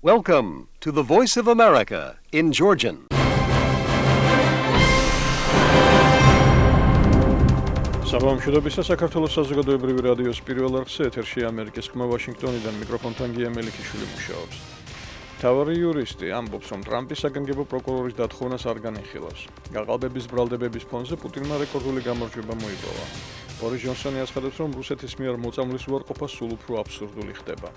Welcome to the Voice of America in Georgian. Საბამშვიდობისა საქართველოს საზოგადოებრივი რადიოს პირველ არხზე ეთერში ამერიკის ხმა ვაშინგტონიდან მიკროფონთან გია მელიქიშვილი მუშაობს. მთავარი იურისტი ამბობს, რომ ტრამპის საგანგებო პროკურორის დათხოვნას არ განიხილავს. გაყალბების ბრალდებების ფონზე პუტინმა რეკორდული გამარჯვება მოიპოვა. ბორის ჯონსონი აცხადებს, რომ რუსეთის მიერ მოწამვლის უარყოფა სულ უფრო აბსურდული ხდება.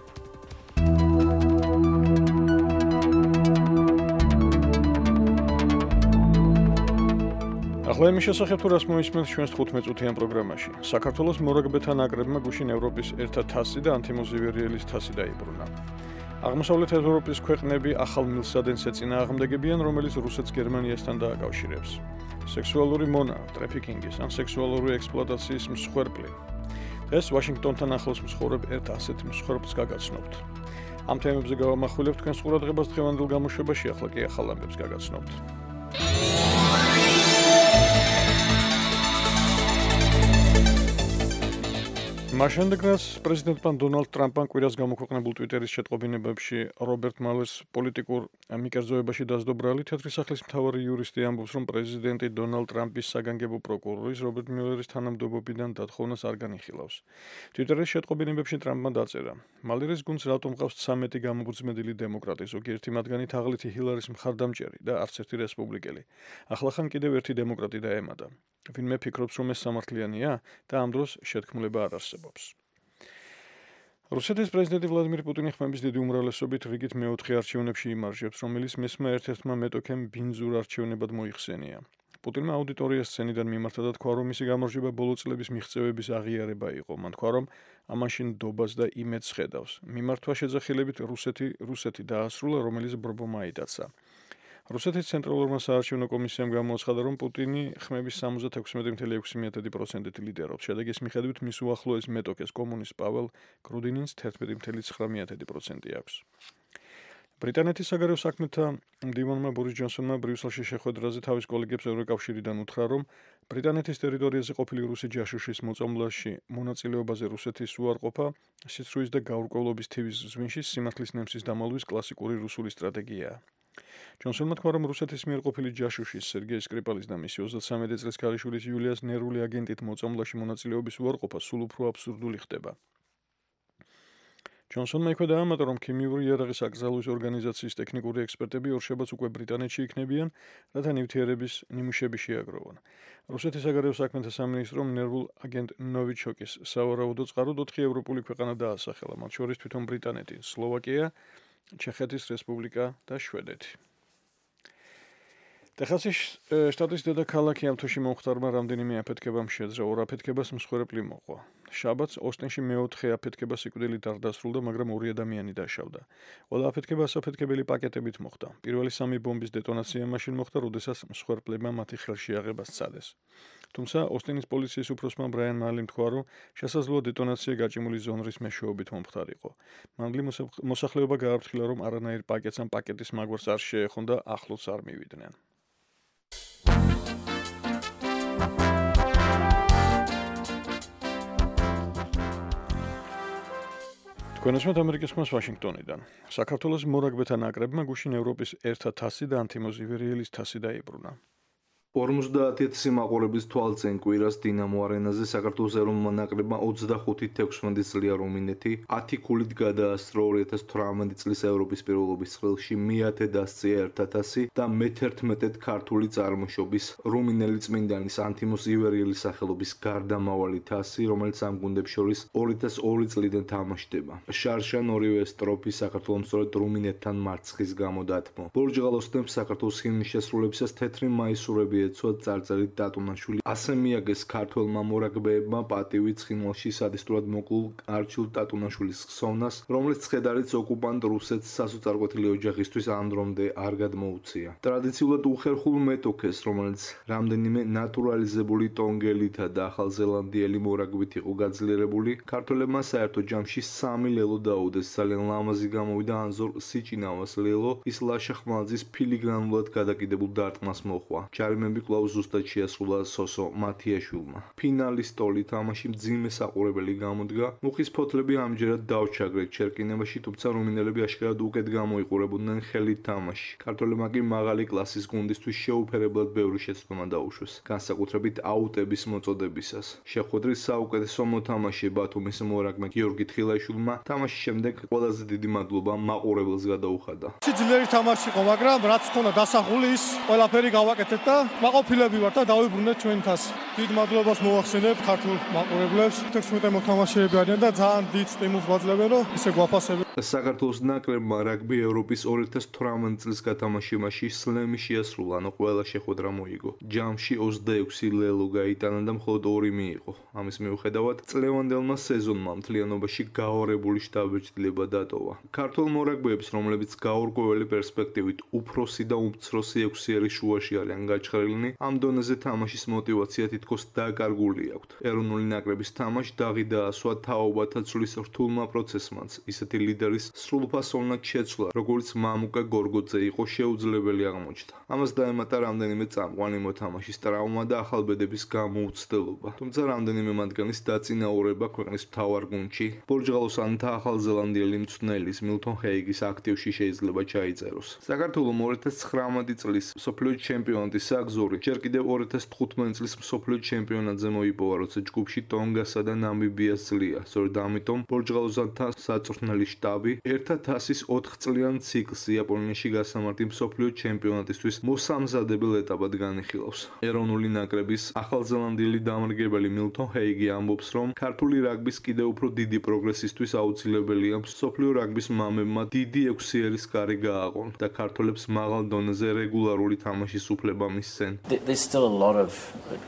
ახლა იმის შესახებ თუ რას მოისმენთ ჩვენს 15 წუთიან პროგრამაში. საქართველოს მორაგბეთა ნაკრებმა გუშინ ევროპის ერთ თასი და ანთიმოზივერიელის თასი დაიბრუნა. აღმოსავლეთ ევროპის ქვეყნები ახალ მილსადენს ეწინააღმდეგებიან, რომელიც რუსეთს გერმანიასთან დააკავშირებს. სექსუალური მონა, ტრაფიკინგის ან სექსუალური ექსპლუატაციის მსხვერპლი. დღეს ვაშინგტონთან ახლოს მსხურებ ერთ ასეთ მსხვერპლს გაგაცნობთ. ამ თემებზე გავამახვილებთ თქვენს ყურადღებას დღევანდელ გამოშვებაში, ახლა კი ახალ ამბებს გაგაცნობთ. მაშინდ რაც პრეზიდენტმა დონალდ ტრამპმა კვირას გამოქვეყნებულ ტვიტერის შეტყობინებებში რობერტ მალეს პოლიტიკურ მიკერძოებაში დასდო ბრალი, თეთრი სახლის მთავარი იურისტი ამბობს, რომ პრეზიდენტი დონალდ ტრამპის საგანგებო პროკურორის რობერტ მიულერის თანამდებობიდან დათხოვნას არ განიხილავს. ტვიტერის შეტყობინებებში ტრამპმა დაწერა: მალერის გუნდს რატომ ყავს 13 გამოგრძმედილი დემოკრატი, ზოგიერთი მათგანი თაღლითი ჰილარის მხარდამჭერი და არც ერთი რესპუბლიკელი. ახლახან კიდევ ერთი დემოკრატი დაემატა. ვინმე ფიქრობს, რომ ეს სამართლიანია და ამ დროს შეთქმულება არ არსებობს. რუსეთის პრეზიდენტი ვლადიმիր პუტინი ხმების დიდი უმრავლესობით რიგით მეოთხე არჩევნებში იმარჯვებს, რომელიც მესმა ერთ-ერთმა მეტოქემ ბინძურ არჩევნებად მოიხსენია. პუტინმა აუდიტორიას სცენიდან მიმართა და თქვა, რომ მისი გამარჯვება ბოლო წლების მიღწევების აღიარება იყო. მან თქვა, რომ ამაში ნდობას და იმედს ხედავს. მიმართვა შეძახილებით რუსეთი დაასრულა, რომელიც ბრბომა აიტაცა. რუსეთის ცენტრალურმა საარჩევნო კომისიამ გამოაცხადა, რომ პუტინი ხმების 76.6%-ით ლიდერობს. შედეგის მიხედვით მის უახლოეს მეტოქეს კომუნისტ პაվել გრუდინინს 11.9% აქვს. ბრიტანეთის საგარეო საქმეთა მდივანმა ბორის ჯონსონმა ბრიუსელში შეხვედრაზე თავის კოლეგებს ევროკავშირიდან უთხრა, რომ ბრიტანეთის ტერიტორიაზე ყოფილი რუსი ჯაშუშის მოწამვლაში მონაწილეობაზე რუსეთის უარყოფა სიცრუის და გაურკვევლობის თივის ზვინში სიმართლის ნემსის დამალვის კლასიკური რუსული სტრატეგიაა. ჯონსონმა თქვა, რომ რუსეთის მიერ ყოფილი ჯაშუშის სერგეი სკრიპალის და მისი 33 წლის ქალიშვილის იულიას ნერვული აგენტით მოწამვლაში მონაწილეობის უარყოფა სულ უფრო აბსურდული ხდება. ჯონსონმა იქვე დაამატა, რომ ქიმიური იარაღის აკრძალვის ორგანიზაციის ტექნიკური ექსპერტები ორშაბათს უკვე ბრიტანეთში იქნებიან, რათა ნივთიერების ნიმუშები შეაგროვონ. რუსეთის საგარეო საქმეთა სამინისტრომ ნერვულ აგენტ ნოვიჩოკის სავარაუდო წყაროდ 4 ევროპული ქვეყანა დაასახელა, მათ შორის თვითონ ბრიტანეთი, სლოვაკია, ჩეხეთის რესპუბლიკა და შვედეთი. ტეხასის შტატის დედაქალაქი ამ თვეში მომხდარმა რამდენიმე აფეთქებამ შეძლო, ორ აფეთქებას მსხვერპლი მოყვა. შაბათს ოსტინში მეოთხე აფეთქება სიკვდილით არ დასრულდა, მაგრამ 2 ადამიანი დაშავდა. ყველა აფეთქება ასაფეთქებელი პაკეტებით მოხდა. პირველი 3 ბომბის დეტონაცია მაშინ მოხდა, როდესაც მსხვერპლებმა მათი ხელში აღება სცადეს. თუმცა ოსტინის პოლიციის უფროსმა ბრაიან მალიმ თქვა, რომ შესაძლოა დეტონაცია გაჭიმული ზონრის მეშვეობით მომხდარიყო. მანგლი მოსახლეობა გააფრთხილა, რომ არანაირ პაკეტს ან პაკეტის მაგვარს არ შეეხონ და ახლოც არ მივიდნენ. თქვენესმეთ ამერიკის ხმას ვაშინგტონიდან. საქართველოს მორაგბეთა ნაკრებმა გუშინ ევროპის ერთ თასი და ანთიმოზივერიელის თასი დაიბრუნა. 50,000 სიმაღლების თვალწინ კვირას დინამო არენაზე საქართველოს ეროვნულმა ნაკრებმა 25-16 წლია რუმინეთი 10 ქულით გადაასწრო 2018 წლის ევროპის პირველობის წრეში მე-10 დასწია ერთ-თასი და მე-11 ქართული წარმოშობის რუმინელი წმინდანის ანთიმოზივერიელის სახელობის გარდამავალი თასი, რომელიც ამ გუნდებს შორის 2002 წლიდან თამაშდება. შარშან ორივე სტროფი საქართველოს სწორედ რუმინეთთან მარცხის გამო დათმო. ბორჯღალოსნებს საქართველოს ჰიმნის შესრულებისას თეთრი მაისურები ეცვათ წარწერით დატუნაშვილი. ასე მიაგეს ქართველმა მორაგბეებმა პატივი ცხინვალში სადისტურად მოკლულ არჩილ დატუნაშვილის ხსოვნას, რომელიც ცხედარიც ოკუპანტ რუსეთს სასოწარკვეთილი ოჯახისთვის ამ დრომდე არ გადმოუცია. ტრადიციულად უხერხულ მეტოქეს, რომელიც რამდენიმე ნატურალიზებული ტონგელითა და ახალზელანდიელი მორაგბით იყო გაძლიერებული, ქართველებმა საერთო ჯამში 3 ლელო დაუდეს. ძალიან ლამაზი გამოვიდა ანზორ სიჭინავას ლელო, ის ლაშა ხმალაძის ფილიგრანულად გადაკიდებულ დარტყმას მოჰყვა. ჯარიმები თამაშმოქმედი კვლავ ზუსტად შეასრულა სოსო მათიაშვილმა. ფინალის ტოლი თამაში მძიმე საყურებელი გამოდგა. მუხის ფოთლები ამჯერად დავჩაგრეთ ჩერკინებაში, თუმცა რუმინელები აშკარად უკეთ გამოიყურებოდნენ ხელით თამაში. ქართველებმა კი მაღალი კლასის გუნდისთვის შეუფერებლად ბევრი შეცდომა დაუშვეს, განსაკუთრებით აუტების მოწოდებისას. შეხვედრის საუკეთესო მოთამაშე ბათუმის მორაგმე გიორგი თხილაშვილმა თამაშის შემდეგ ყველაზე დიდი მადლობა მაყურებელს გადაუხადა. ძლიერი თამაში იყო, მაგრამ რაც ჰქონდა დასახული ის ყველაფერი გავაკეთეთ და მაყოფილები ვართ და დავიბრუნეთ ჩვენ თასი. დიდ მადლობას მოვახსენებ ქართულ მაყურებლებს. 16 მოთამაშეები არიან და ძალიან დიდ სტიმულს გვაძლევენ, რომ ისე გვაფასებენ. საქართველოს ნაკრებმა რაგბი ევროპის 2018 წლის გათამაშებაში სლემი შეასრულა, ანუ ყველა შეხვედრა მოიგო. ჯამში 26 ლელო გაიტანა და მხოლოდ 2 მიიღო. ამის მიუხედავად, წლევანდელმა სეზონმა მთლიანობაში გაორებული შთაბეჭდილება დატოვა. ქართულ მორაგბეებს, რომლებიც გაურკვეველი პერსპექტივით უფროსი და უმცროსი 6-ერი შუაში არიან გაჩხრილნი, ამ დონეზე თამაშის мотиваცია თითქოს დაკარგული აქვთ. ეროვნული ნაკრების თამაში დაღი დაასვა თაობათა ცვლის რთულმა პროცესმაც, ისეთი ლიდერის სრულფასოვნად შეცვლა, როგორც მამუკა გორგოძე იყო შეუძლებელი აღმოჩნდა. ამას დაემატა რამდენიმე წამყვანი მოთამაშის ტრავმა და ახალბედების გამოუცდელობა. თუმცა რამდენიმე მათგანის დაწინაურება ქვეყნის მთავარ გუნდში, პორტუგალოსანთა ახალზელანდიელი მწვრთნელის მილტონ ჰეიგის აქტივში შეიძლება ჩაიწეროს. საქართველოს 2019 წლის მსოფლიო ჩემპიონატის საგზური ჯერ კიდევ 2015 წლის მსოფლიო ჩემპიონატზე მოიპოვა, როცა ჯგუფში ტონგასა და ნამიბიას ძლია. სწორედ ამიტომ პორტუგალოსანთა საწვრთნელი შტაბი ერთად თასის 4 წლიან ციკლს იაპონიაში გასამართი მსოფლიო ჩემპიონატისთვის მოსამზადებელ ეტაპად განიხილავს. ეროვნული ნაკრების ახალზელანდიელი დამარგებელი მილტონ ჰეიგი ამბობს, რომ ქართული რაგბის კიდევ უფრო დიდი პროგრესისთვის აუცილებელია მსოფლიო რაგბის მამებმა დიდი 6-ერის კარი გააყონ და ქართველებს მაღალ დონეზე რეგულარული თამაშის უფლება მისცენ. There's still a lot of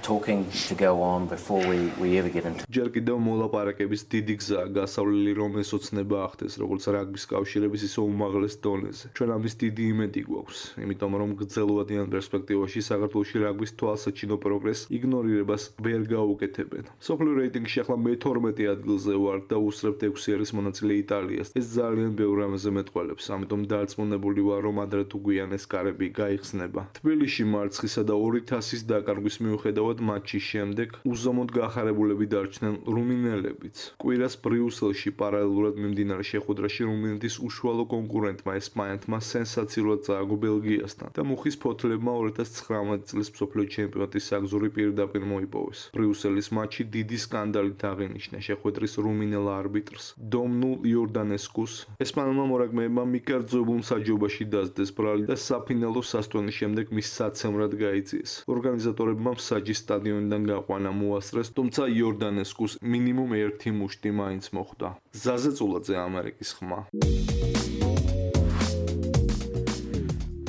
talking to go on before we ever get into. ჯერ კიდევ მოლაპარაკების დიდი გზაა გასავლელი, რომ ეს ოცნება ახდეს, როგორც რაგბის კავშირების ისე უმაღლეს დონეზე. ჩვენ ამის დიდი იმედი გვაქვს, იმიტომ რომ გრძელვადიან პერსპექტივაში საქართველოში რაგბის თვალსაჩინო პროგრესს იგნორირებას ვერ გაუკეთებენ. მსოფლიო რეიტინგში ახლა მე-12 ადგილზე ვართ და უსწრებთ 6-ერის მონაწილე იტალიას. ეს ძალიან ბევრ რამეზე მეტყველებს, ამიტომ დარწმუნებული ვარ, რომ ადრე თუ გვიან ეს კარები გაიხსნება. თბილისში მარცხისა და 2 თასის დაკარგვის მიუხედავად მატჩის შემდეგ უზომოდ გახარებულები დარჩნენ რუმინელებიც. კვირას ბრიუსელში პარალელურად მიმდინარე შეხვედრაში რუმინეთის უშუალო კონკურენტმა ესპანეთმა სენსაციურად წააგო ბელგიასთან და მუხის ფოთლებმა 2019 წლის მსოფლიო ჩემპიონატის საგზური პირდაპირ მოიპოვეს. ბრიუსელის მატჩი დიდი სკანდალით აღინიშნა შეხვედრის რუმინელ არბიტრს დომნულ იორდანესკუს. ესპანელმა მორაგბეებმა მიკერძოებულ მსაჯობაში დასდეს ბრალი და საფინალო სასტვენის შემდეგ მის საცემრად გაიწიეს. ორგანიზატორებმა მსაჯი სტადიონიდან გაყვანა მოასწრეს, თუმცა იორდანესკუს მინიმუმ 1 მუშტი მაინც მოხვდა. ზაზე წულაძე, ამერიკის ხმა.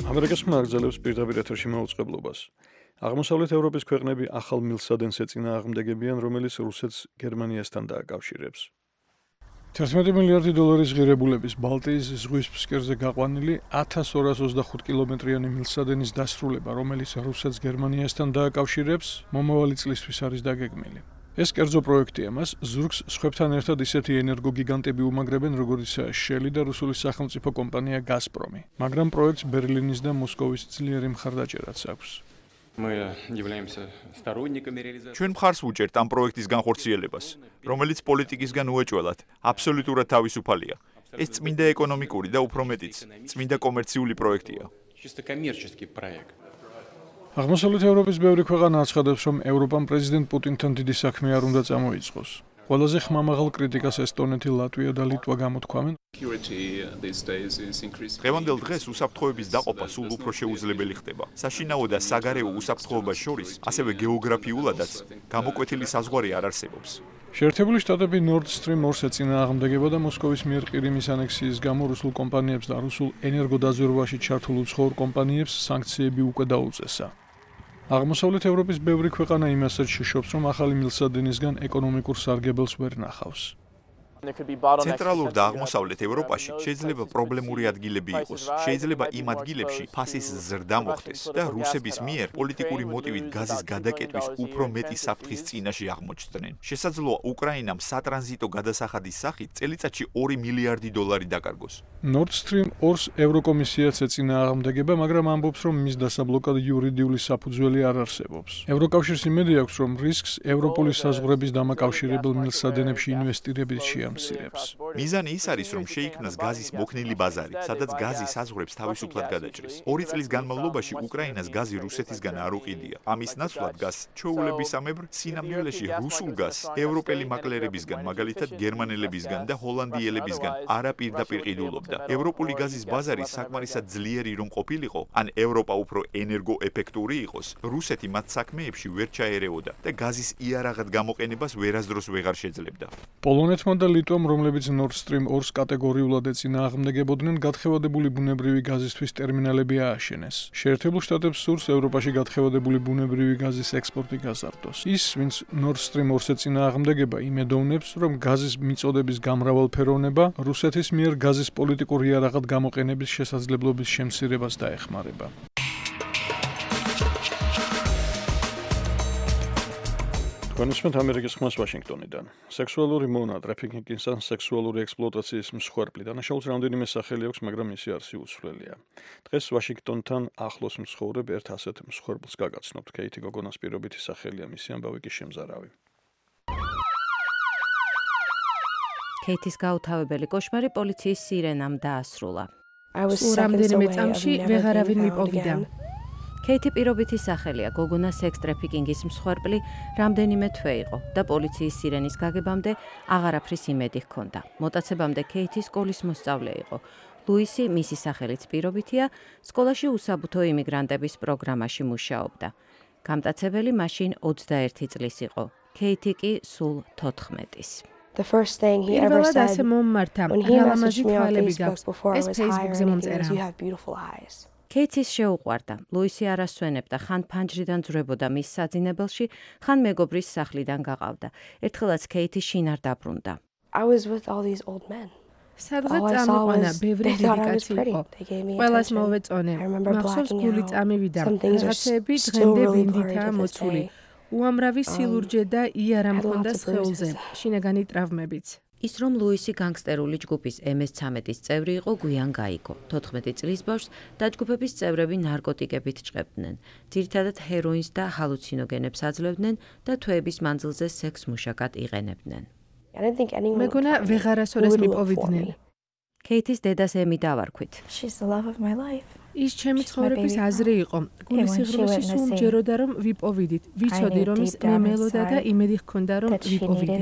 ამერიკის ხმა აგრძელებს პირდაპირ ეთერში მაუწყებლობას. აღმოსავლეთ ევროპის ქვეყნები ახალ მილსადენს ეწინააღმდეგებიან, რომელიც რუსეთს გერმანიასთან დააკავშირებს. 11 მილიარდი დოლარის ღირებულების ბალტიის ზღვის ფსკერზე გაყვანილი 1225 კილომეტრიანი მილსადენის დასრულება, რომელიც რუსეთს გერმანიასთან დააკავშირებს, მომავალი წლისთვის არის დაგეგმილი. ეს კერძო პროექტია, მას ზურგს სხვებთან ერთად ისეთი ენერგოგიგანტები უმაგრებენ, როგორც შელი და რუსული სახელმწიფო კომპანია გაზპრომი, მაგრამ პროექტს ბერლინის და მოსკოვის ძლიერი მხარდაჭერაც აქვს. ჩვენ მხარს ვუჭერთ ამ პროექტის განხორციელებას, რომელიც პოლიტიკისგან უეჭველად აბსოლუტურად თავისუფალია. ეს წმინდა ეკონომიკური და უფრო მეტიც, წმინდა კომერციული პროექტია. აღმოსავლეთ ევროპის ბევრი ქვეყანა აცხადებს, რომ ევროპამ პრეზიდენტ პუტინთან დიდი საქმე არ უნდა წამოიწყოს. ყველაზე ხმამაღალ კრიტიკას ესტონეთი, ლატვია და ლიტვა გამოთქვამენ. დღევანდელ დღეს უსაფრთხოების დაყოფა სულ უფრო შეუძლებელი ხდება. საშინაო და საგარეო უსაფრთხოებას შორის, ასევე გეოგრაფიულადაც გამოკვეთილი საზღვარი არ არსებობს. შეერთებული შტატები Nord Stream 2-ს ეწინააღმდეგება და მოსკოვის მიერ ყირიმის ანექსიის გამო რუსულ კომპანიებს და რუსულ ენერგოდაზვერვაში ჩართულ უცხოურ კომპანიებს სანქციები უკვე დაუწესა. აღმოსავლეთ ევროპის ბევრი ქვეყანა იმასაც შეშობს, რომ ახალი მილსადენისგან ეკონომიკურ სარგებელს ვერ ნახავს. ცენტრალურ და აღმოსავლეთ ევროპაში შეიძლება პრობლემური ადგილები იყოს. შეიძლება იმ ადგილებში ფასის ზრდა მოხდეს და რუსების მიერ პოლიტიკური მოტივით გაზის გადაკეტვის უფრო მეტი საფრთხის წინაშე აღმოჩნდნენ. შესაძლოა უკრაინამ სატრანზიტო გადასახადის სახით წელიწადში 2 მილიარდი დოლარი დაკარგოს. Nord Stream 2-ს ევროკომისიაც ეწინააღმდეგება, მაგრამ ამბობს, რომ მის დასაბლოკად იურიდიული საფუძველი არ არსებობს. ევროკავშირს იმედი აქვს, რომ რისკს ევროპოლის საზღვრების დამაკავშირებელ მილსადენებში ინვესტირებით შეამცირებს. მიზანი ის არის, რომ შეიქმნას გაზის მოქნილი ბაზარი, სადაც გაზი საზღვრებს თავისუფლად გადაჭრის. 2 წლის განმავლობაში უკრაინას გაზი რუსეთისგან არ უყიდია. ამის ნაცვლად გაზს ჩვეულებისამებრ სინამდვილეში რუსულ გაზს ევროპელი მაკლერებისგან, მაგალითად გერმანელებისგან და ჰოლანდიელებისგან არა პირდაპირ ყიდულობდა. ევროპული გაზის ბაზარი საკმარისად ძლიერი რომ ყოფილიყო, ან ევროპა უფრო ენერგოეფექტური იყოს, რუსეთი მათ საქმეებში ვერ ჩაერეოდა და გაზის იარაღად გამოყენებას ვერასდროს ვეღარ შეძლებდა. პოლონეთმა და ლიტვამ, რომლებიც Nord Stream 2-ს კატეგორიულად ეწინააღმდეგებოდნენ, გათხევადებული ბუნებრივი გაზისთვის ტერმინალები ააშენეს. შეერთებულ შტატებს სურს ევროპაში გათხევადებული ბუნებრივი გაზის ექსპორტი გაზარდოს. ის, ვინც Nord Stream 2-ს ეწინააღმდეგება, იმედოვნებს, რომ გაზის მიწოდების გამრავალფეროვნება რუსეთის მიერ გაზის პოლიტიკურ იარაღად გამოყენების შესაძლებლობის შემცირებას დაეხმარება. განსვენთ ამერიკის ხმას ვაშინგტონიდან. სექსუალური მონა, ტრაფიკინგის ან სექსუალური ექსპლუატაციის მსხვერპლი დანაშაულს რამდენიმე სახელი აქვს, მაგრამ მისი არსი უცვლელია. დღეს ვაშინგტონთან ახლოს მცხოვრებ ერთ ასეთ მსხვერპლს გაგაცნობთ. ქეითი გოგონას პირობითი სახელია, მისი ამბავი კი შემზარავი. ქეითის გაუთავებელი კოშმარი პოლიციის სირენამ დაასრულა. რამდენიმე წამში ვეღარავინ მიპოვიდა. ქეითი პირობითი სახელია, გოგონა სექს ტრაფიკინგის მსხვერპლი რამდენიმე თვე იყო და პოლიციის სირენის გაგებამდე აღარაფრის იმედი ჰქონდა. მოტაცებამდე ქეითი სკოლის მოსწავლე იყო. ლუისი, მისი სახელიც პირობითია, სკოლაში უსაბუთო იმიგრანტების პროგრამაში მუშაობდა. გამტაცებელი მაშინ 21 წლის იყო. ქეითი კი სულ 14-ის. პირველად ასე მომმართა, რალამაზი თვალები გაქვს. ეს Facebook-ზე მომწერა. ქეითის შეუყვარდა. ლუისი არ ასვენებდა, ხან ფანჯრიდან ძვრებოდა მის საძინებელში, ხან მეგობრის სახლიდან გაყავდა. ერთხელაც ქეითი შინარ დაბრუნდა. სადღაც წამიყვანა, ბევრი დედიკაცი იყო. ყველას მოვეწონე. მახსოვს გული წამივიდა. რაღაცეები დღემდე ვინდითაა მოცული. უამრავი სილურჯე და იარა მქონდა სხეულზე, შინაგანი ტრავმებიც. ის რომ ლუისი განგსტერული ჯგუფის MS-13-ის წევრი იყო, გვიან გაიგო. 14 წლის ბავშვს დაჯგუფების წევრები ნარკოტიკებით ჭყებდნენ. ძირითადად ჰეროინს და ჰალუცინოგენებს აძლევდნენ და თვეების მანძილზე სექს მუშაკად იყენებდნენ. მეგონა ვეღარასოდეს მიპოვიდნენ. ქეითის დედას ემი დავარქვით. ის ჩემი ცხოვრების აზრი იყო. გულისიღრმეში სულ მჯეროდა რომ ვიპოვიდით. ვიცოდი რომ ის მემელოდა და იმედი ჰქონდა რომ ვიპოვიდი.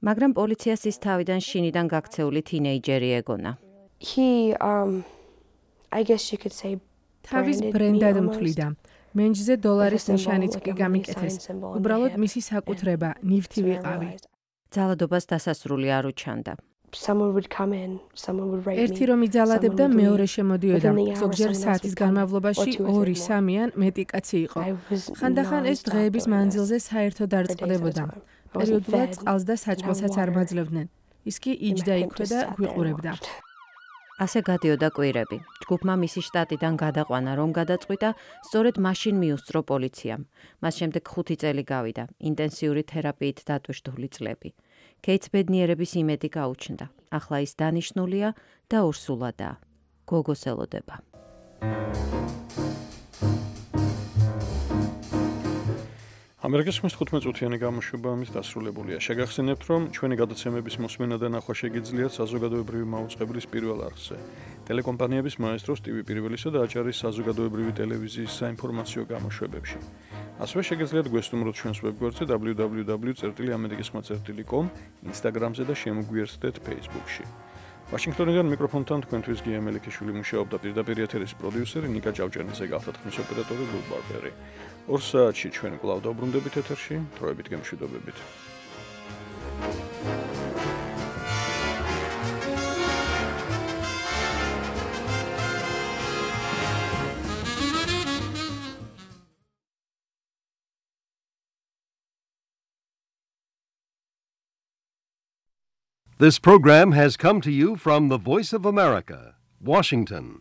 მაგრამ პოლიციას ის თავიდან შინიდან გაქცეული თინეიჯერი ეგონა. თავის ბრენდად მთვლიდა. მენჯზე დოლარის ნიშანიც კი გამიკეთეს. უბრალოდ მისი საკუთრება, ნივთი ვიყავი. ძალადობას დასასრული არ უჩანდა. ერთი რომ იძალადებდა, მეორე შემოდიოდა. ზოგჯერ საათის განმავლობაში 2-3 ან მეტი კაცი იყო. ხანდახან ეს დღეების მანძილზე საერთოდ არ წყდებოდა. პერიოდულად წყალს და საჭმელსაც არ მაძლევდნენ. ის კი იჯდა იქვე და გვიყურებდა. ასე გადიოდა კვირები. ჯგუფმა მისი შტატიდან გადაყვანა, რომ გადაწყვიტა, სწორედ მაშინ მიუსწრო პოლიციამ. მას შემდეგ 5 წელი გავიდა, ინტენსიური თერაპიით დატვირთული წლები. ქეითს ბედნიერების იმედი გაუჩნდა. ახლა ის დანიშნულია და ორსულადაა. გოგოს ელოდება. ამერიკის ხმის 15 წუთიანი გამოშვება ამის დასრულებულია. შეგახსენებთ, რომ ჩვენი გადაცემების მოსმენა და ნახვა შეგიძლიათ საზოგადოებრივი მაუწყებლის პირველ არხზე. ტელეკომპანიების მაესტროს TV პირველისა და აჭარის საზოგადოებრივი ტელევიზიის საინფორმაციო გამოშვებებში. ასევე შეგიძლიათ გვესტუმროთ ჩვენს ვებგვერდზე www.amerikiskhma.com, Instagram-ზე და შემოგვიერთდეთ Facebook-ში. ვაშინგტონიდან მიკროფონთან თქვენთვის გია მელიქიშვილი მუშაობდა, პირდაპირ ეთერის პროდიუსერი ნიკა ჭავჭანიძე გახდა ხმის ოპერატორი ლუ ბარბერი. 2 საათში ჩვენ კვლავ დავბრუნდებით ეთერში, დროებით გემშვიდობებით. This program has come to you from the Voice of America, Washington.